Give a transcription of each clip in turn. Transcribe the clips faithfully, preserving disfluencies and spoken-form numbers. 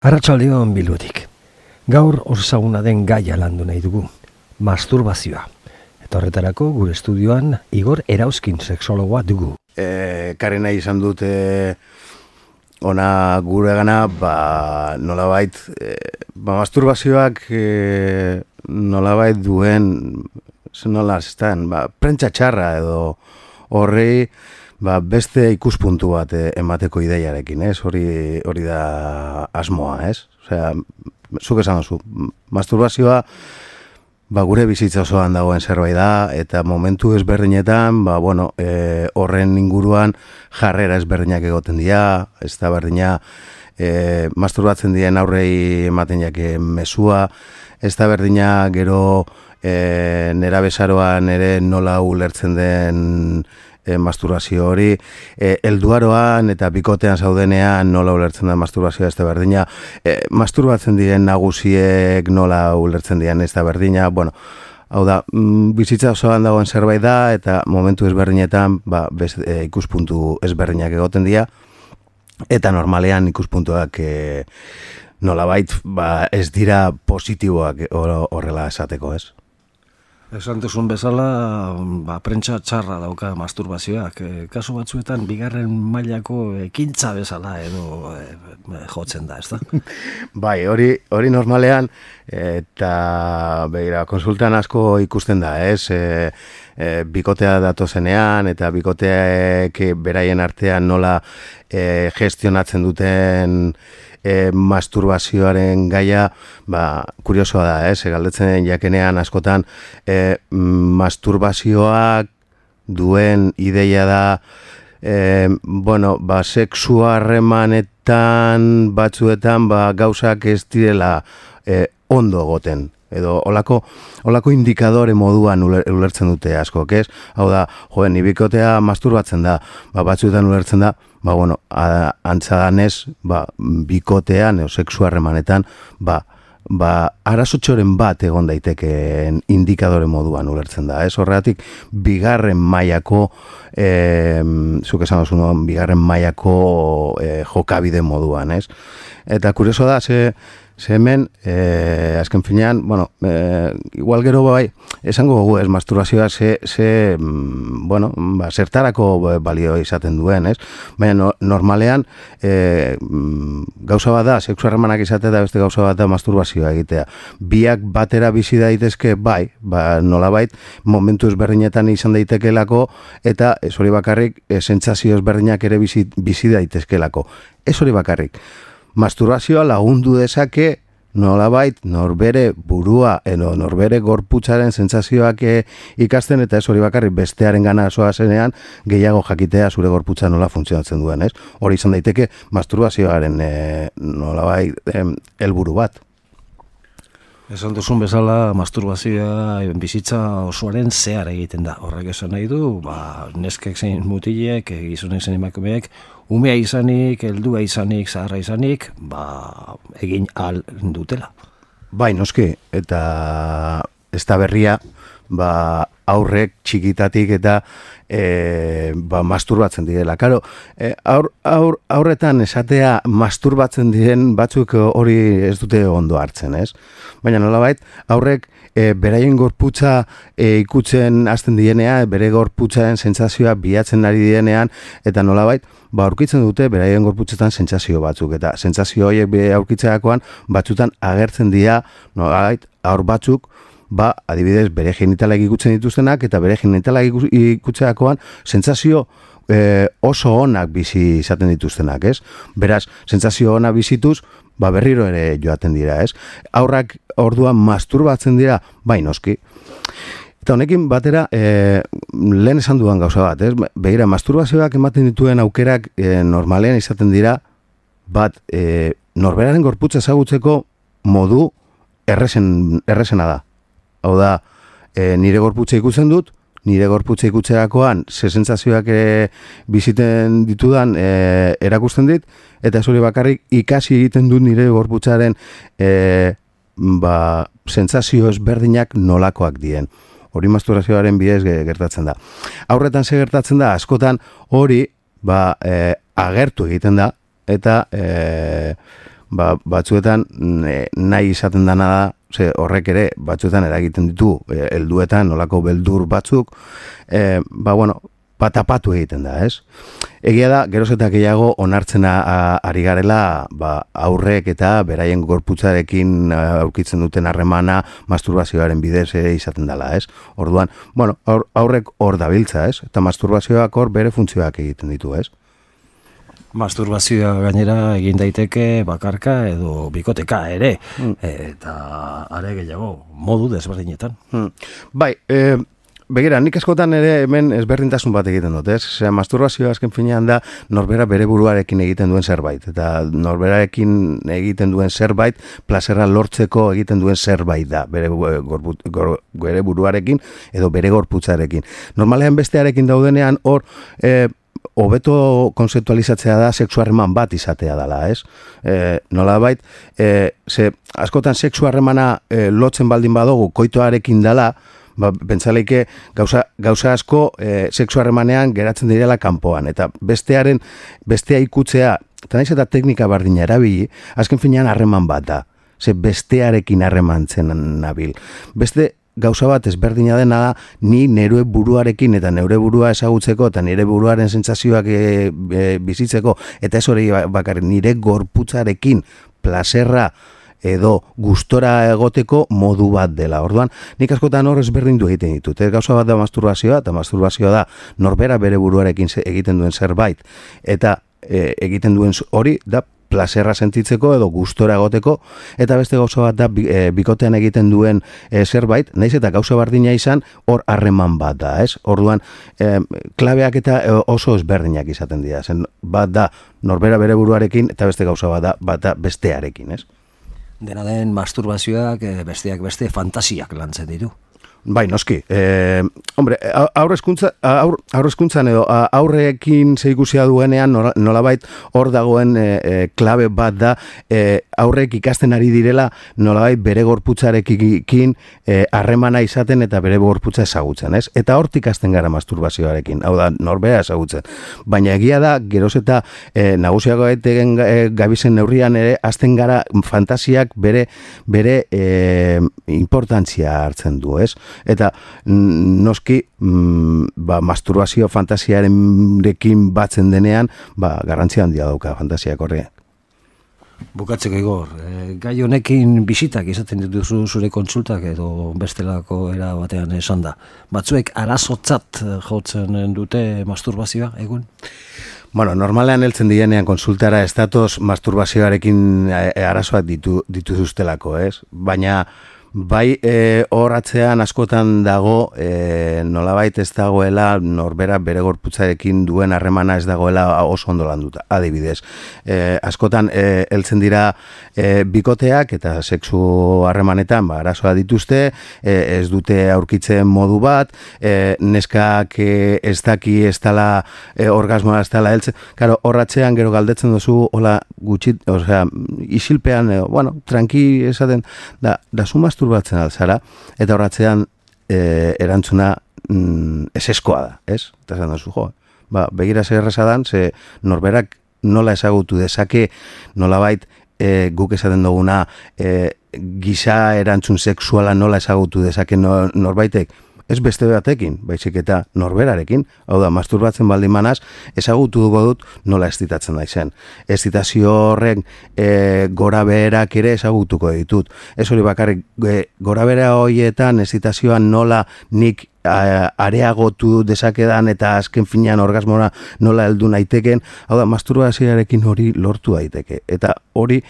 Arratsaldeon Bilbotik. Gaur osaguna den gaia landu nahi dugu, masturbazioa. Eta horretarako gure estudioan Igor Erauzkin sexologoa dugu. E, Karen nahi izan dute ona gure gana, ba, nolabait, e, ba, masturbazioak e, nolabait duen, nola estan, ba, prentsa txarra edo horri, ba, beste ikuspuntu bat eh, emateko ideiarekin, ez? Hori hori da asmoa, ez? Osea, zuk esan duzu, masturbazioa ba, gure bizitza osoan dagoen zerbait da, eta momentu ezberdinetan, ba, bueno, e, horren inguruan jarrera ezberdinak egoten dira, ez da berdina, e, masturbatzen diren aurrei ematen jake mesua, ez da berdina gero e, nera bezaroan ere nola ulertzen den E, masturbazio hori, e, elduaroan eta bikotean zaudenean nola ulertzen da masturbazioa ez da berdina, e, masturbatzen diren nagusiek nola ulertzen diren ez da berdina, bueno, hau da, mm, bizitza osoan dagoen zerbait da, eta momentu ezberdinetan ba, bez, e, ikuspuntu ezberdinak egoten dira, eta normalean ikuspuntuak e, nolabait ba, ez dira positiboak horrela esateko, ez? Esan duzun bezala, ba, prentsa txarra dauka masturbazioak. E, kasu batzuetan, bigarren mailako ekintza bezala edo e, jotzen da, ez da? Bai, hori, hori normalean, eta begira, konsultan asko ikusten da, ez? E, e, bikotea datozenean, eta bikoteak beraien artean nola e, gestionatzen duten E, masturbazioaren gaia, ba, kuriosoa da, ez? E, galdetzen jakenean askotan e, masturbazioak duen ideia da, e, bueno, ba, sexu harremanetan batzuetan ba, gauzak ez direla e, ondo goten. Edo olako, olako indikadore moduan ulertzen dute askok, ez? Hau da, joen, ibikotea masturbatzen da, ba, batzuetan ulertzen da, ba, bueno, antza danez, ba, bikotean, edo sexu harremanetan, ba, ba, arazotxoren bat egon daitekeen indikadore moduan ulertzen da, ez? Horregatik, bigarren mailako, e, zuk esan duzu, no? bigarren mailako e, jokabide moduan, ez? Eta kurioso da, ze, Ze hemen, eh, azken finean, bueno, eh, igual gero bai, esango gogu ez, masturbazioa ze, ze bueno, ba, zertarako balio izaten duen, ez? Baina no, normalean, eh, gauza bat da, sexu harremanak izatea da beste gauza bat da masturbazioa egitea. Biak batera bizi daitezke, bai, ba, nolabait, momentu ezberdinetan izan daitekelako, eta ez hori bakarrik, e, sentsazio ezberdinak ere bizi, bizi daitezkelako. Ez hori bakarrik. Masturbazioa lagundu dezake nolabait norbere burua edo norbere gorputzaren sentsazioak ikasten, eta ez hori bakarrik bestearen gana zoazenean gehiago jakitea zure gorputza nola funtzionatzen duen, ez? Hori izan daiteke masturbazioaren e, nolabait helburu bat. Esan duzun bezala, masturbazioa bizitza osoaren zehar egiten da. Horrek esan nahi du, ba, neskek zein mutilek, gizonek zein emakumeek, umea izanik, heldua izanik, zaharra izanik, ba, egin ahal dutela. Bai, noski, eta ez da berria, ba, aurrek txikitatik eta e, ba, masturbatzen direla. Karo, e, aur, aur, aurretan esatea masturbatzen diren batzuk hori ez dute ondo hartzen, ez? Baina nolabait, aurrek e, beraien gorputza e, ikutzen hasten dienean, bere gorputzaren sentsazioa bilatzen ari dienean, eta nolabait, ba, aurkitzen dute beraien gorputzetan sentsazio batzuk, eta sentsazio horiek aurkitzeakoan batzutan agertzen dira, nolabait, aur batzuk, ba, adibidez, bere genitalak ikutzen dituztenak, eta bere genitalak ikutzeakoan sentsazio e, oso onak bizi izaten dituztenak, ez? Beraz, sentsazio onak bizituz, ba, berriro ere joaten dira, ez? Aurrak orduan masturbatzen dira, bai noski. Eta honekin batera, e, lehen esan dudan gauza bat, ez? Begira, masturbazioak ematen dituen aukerak e, normalean izaten dira, bat, e, norberaren gorputza ezagutzeko modu erresen, erresena da. Hau da, e, nire gorputza ikusten dut, nire gorputza ikutzerakoan ze sentsazioak e, biziten ditudan e, erakusten dit, eta ez hori bakarrik ikasi egiten dut nire gorputzaren e, ba, sentsazio ezberdinak nolakoak dien. Hori masturbazioaren bidez gertatzen da. Aurretan ze gertatzen da, askotan hori ba, e, agertu egiten da, eta e, ba, batzuetan e, nahi izaten dana da, ze horrek ere batzuetan eragiten ditu, e, helduetan nolako beldur batzuk, e, ba, bueno, patapatu egiten da, ez? Egia da, geroz eta gehiago onartzen ari garela ba, aurrek eta beraien gorputzarekin aurkitzen duten harremana masturbazioaren bidez izaten dela, ez? Orduan, bueno, aur, aurrek hor dabiltza, ez? Eta masturbazioak hor bere funtzioak egiten ditu, ez? Masturbazioa gainera egin daiteke bakarka edo bikoteka ere, mm. eta are gehiago modu desberdinetan. Mm. Bai, e, begira, nik askotan ere hemen ezberdintasun bat egiten dut, ez? Osea, masturbazioa azken finean da norbera bere buruarekin egiten duen zerbait, eta norberarekin egiten duen zerbait, plazerra lortzeko egiten duen zerbait da, bere, gorbut, gor, bere buruarekin edo bere gorputzarekin. Normalean bestearekin daudenean hor, e, hobeto konzeptualizatzea da sexu harreman bat izatea dela, ez? E, nolabait, e, ze askotan sexu harremana e, lotzen baldin badugu koitoarekin dela, ba, pentsaleike gauza, gauza asko e, sexu harremanean geratzen direla kanpoan, eta bestearen, bestea ikutzea, eta naiz eta teknika bardina erabili, azken finean harreman bat da, ze bestearekin harremantzen nabil. Beste gauza bat ezberdina dena da, ni neure buruarekin eta neure burua ezagutzeko eta nire buruaren sentsazioak e, e, bizitzeko, eta ez hori bakarrik nire gorputzarekin plazerra edo gustora egoteko modu bat dela. Orduan, nik askotan hor ezberdindu egiten ditut. Ez gauza bat da masturbazioa, eta masturbazioa da norbera bere buruarekin egiten duen zerbait, eta e, egiten duen hori da plazerra sentitzeko edo gustora egoteko, eta beste gauza bat da e, bikotean egiten duen e, zerbait, naiz eta gauza bardina izan, hor harreman bat da, ez? Orduan, e, klabeak eta oso ezberdinak izaten dira, zen bat da norbera bere buruarekin, eta beste gauza bat da, bat da bestearekin, ez? Dena den masturbazioak besteak beste fantasiak lantzen ditu. Bai, noski. Eh, hombre, aurrezkuntza, aur, aurrezkuntzan edo aurrekin zeikusia duenean nolabait hor dagoen e, e, klabe bat da e, aurrek ikasten ari direla nolabait bere gorputzarekin harremana e, izaten eta bere gorputza ezagutzen, ez? Eta hortik ikasten gara masturbazioarekin, hau da, norbera ezagutzen. Baina egia da, geroz eta e, nagusiago etegen e, gabizen neurrian ere, azten gara fantasiak bere, bere e, importantzia hartzen du, ez? Eta noski mm, ba, masturbazio fantasiarekin batzen denean ba, garrantzia handia dauka fantasiak horreak. Bukatzeko Igor, e, gai honekin bisitak izaten dituzu zure kontsultak edo bestelako era batean esan da. Batzuek arazotzat jotzen dute masturbazioa egun? Bueno, normalean heltzen dienean konsultara ez datoz masturbazioarekin arazoak ditu, dituzustelako, ez? Baina bai, e, hor atzean askotan dago, e, nolabait ez dagoela norbera bere gorputzarekin duen harremana ez dagoela oso ondo landuta. Adibidez, e, askotan e, heltzen dira e, bikoteak eta sexu harremanetan ba, arazoa dituzte, e, ez dute aurkitzen modu bat, e, neskak e, ez daki ez dala e, orgasmoa ez dala heltzen. Karo, hor atzean gero galdetzen duzu, hola, gutxit, osea, isilpean, e, bueno, tranqui esaten, da, da su masturbatzen alzara, eta horratzean e, erantzuna mm, eseskoa da, ez? Eta esan duzu, jo, ba, begira zer errezadan, ze norberak nola ezagutu dezake, nolabait e, guk esaten duguna e, giza erantzun sexuala nola ezagutu dezake no, norbaitek, ez beste batekin, baizik eta norberarekin, hau da, masturbatzen baldin manaz, ezagutu dugu dut nola estitatzen daizen. Estitazio horren e, gora beherak ere ezagutuko ditut. Ez hori bakarrik, e, gora behera horietan estitazioan nola nik a, areagotu dezakedan eta azken finean orgasmora nola heldu naiteken, hau da, masturbazioarekin hori lortu daiteke. Eta hori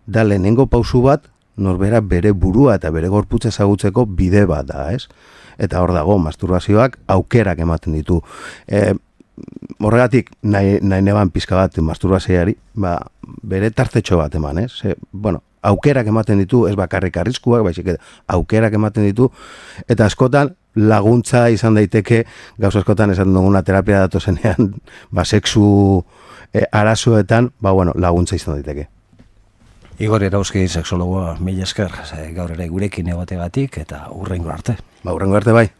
da lehenengo pausu bat, norbera bere burua eta bere gorputza ezagutzeko bide bat da, ez? Eta hor dago, masturbazioak aukerak ematen ditu. E, horregatik, nahi, nahi neban pizka bat masturbazioari, ba, bere tartetxo bat eman, ez? E, bueno, aukerak ematen ditu, ez bakarrik arriskuak, baizik aukerak ematen ditu, eta askotan laguntza izan daiteke, gauza askotan esan duguna terapia datozenean, ba, sexu e, arazoetan, ba, bueno, laguntza izan daiteke. Igor Erauzki, sexologoa, mila esker, gaur ere gurekin egotegatik eta hurrengo arte. Ba, hurrengo arte bai.